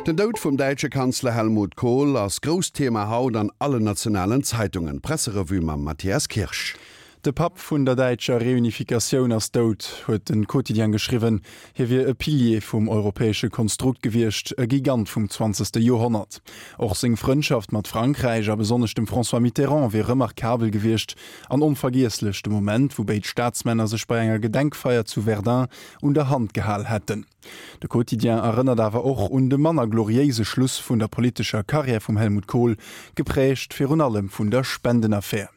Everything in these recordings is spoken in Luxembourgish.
Den Doud vum däitsche Kanzler Helmut Kohl ass grousst Thema haut an allen nationalen Zeitungen. D'Presserevue mam Mathias Kirsch. De Papp vun der däitscher Reunifikatioun ass dout, huet de Quotidien geschriwwen. Hie wier e Pilier vum europäesche Konstrukt gewiescht, e Gigant vum zwanzegste Joerhonnert. Och seng Frëndschaft mat Frankräich a besonnesch dem François Mitterrand wier remarkabel gewiescht an onvergiesslech, de Moment, wou béid Staatsmänner sech bei enger Gedenkfeier zu Verdun un der Hand gehal hätten. De Quotidien erënnert awer och un de manner gloriéise Schluss vun der politescher Karriär vum Helmut Kohl, geprägt virun allem vun der Spendenaffär.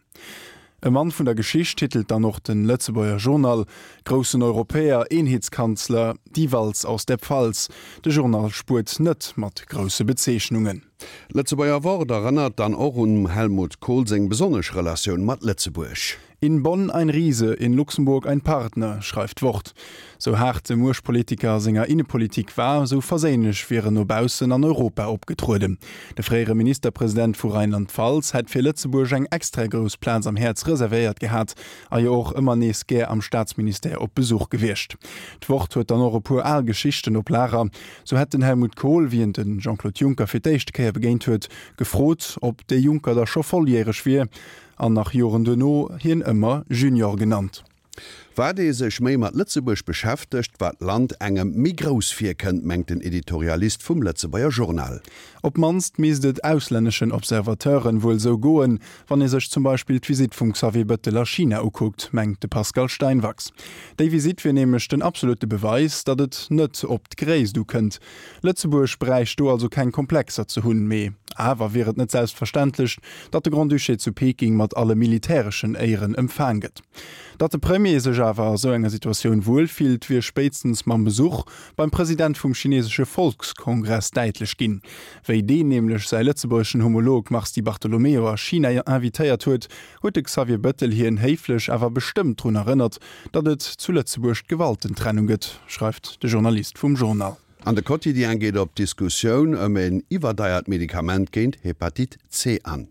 E Mann vun der Geschicht titelt dann och den Lëtzebuerger Journal, Groussen Europäer, Eenheetskanzler, Die Walz aus der Pfalz. De Journal spuert net mat grousse Bezeechnungen. D'Lëtzebuerger Wort erënnert dann och un Helmut Kohl seng besonnesch Relatioun mat Lëtzebuerg. In Bonn ein Riese, in Luxemburg ein Partner, schreift d'Wort. Sou haart de Muechtpolitiker a senger Innepolitik war, sou verséinlech wier en no baussen an Europa opgetrueden. De fréiere Ministerpresident vu Rheinland-Pfalz hätt fir Lëtzebuerg eng extra grouss Plaz am Häerz reservéiert gehat a jo och ëmmer nees gär am Staatsministère op Besuch gewiescht. D'Wort huet dann och e puer al Geschichten op Lager. Sou hätt den Helmut Kohl, wéi en de Jean-Claude Juncker fir d'éischte Kéier begéint huet, gefrot, ob dee Juncker da scho volljäreg wier. An nach Joren duerno hien ëmmer Junior genannt. Wat ee sech méi mat Lëtzebuerg beschäftegt, wat d'Land engem méi grouss virkënnt, mengt den Editorialist vum Lëtzebuerger Journal. Op d'mannst misst et auslänneschen Observateuren wuel sou goen, wann ee sech zum Beispill d'Visitt vum Xavier Bëttel a China ukuckt, mengt de Pascal Steinwachs. Déi Visitt wier nämlech den absolutte Beweis, datt et net op d'Gréisst ukënnt. Lëtzebuerg bräicht do also keng Komplexer ze hunn, mee awer wier et net selbstverständlech, datt de Grand-Duché zu Peking mat alle militäreschen Éieren empfaang gëtt. Datt de Premier sech awer a sou enger Situatioun wuel fillt, wier spéitstens mam Besuch beim President vum chinesesche Volkskongress däitlech ginn. Wéi deen nämlech säi lëtzebuergeschen Homolog Mars Di Bartolomeo a China invitéiert huet, huet de Xavier Bëttel hien héiflech awer bestëmmt drun erënnert, Datt et zu Lëtzebuerg d'Gewaltentrennung gëtt, schreift de Journalist vum Journal. An de Quotidien geet op d'Diskussioun ëm en iwwerdeiert Medikament géint Hepatite C an.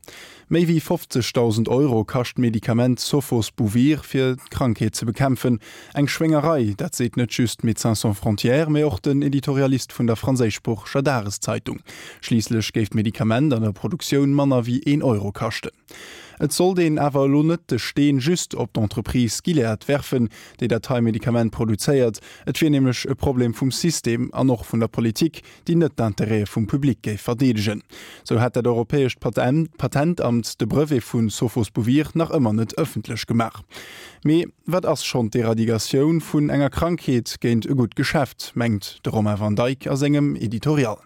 Méi wéi 50.000 Euro kascht d'Medikament Sofosbuvir fir d'Krankheet ze bekämpfen. Eng Schwéngerei, dat seet net just Médecins Sans Frontières, mee och den Editorialist vun der franséischsproocheger Dageszeitung. Schliisslech géif d'Medikament an der Produktioun manner wéi een Euro kaschten. Et sollt een awer elo net de Steen just op d'Entreprise Gilead werfen, déi dat hei Medikament produzéiert. Et wier nämlech e Problem vum System an och vun der Politik, déi net d'Intérêtë vum Public géif verdeedegen. Sou hätt dat europäescht Patentamt de Brevet vu Sofosbuvir nach ëmmer net ëffentlech gemaach. Mee wat ass schonn d'Eradigatioun vun enger Krankheet géint e gutt Geschäft, mengt de Romain Van Dyck a sengem Editorial.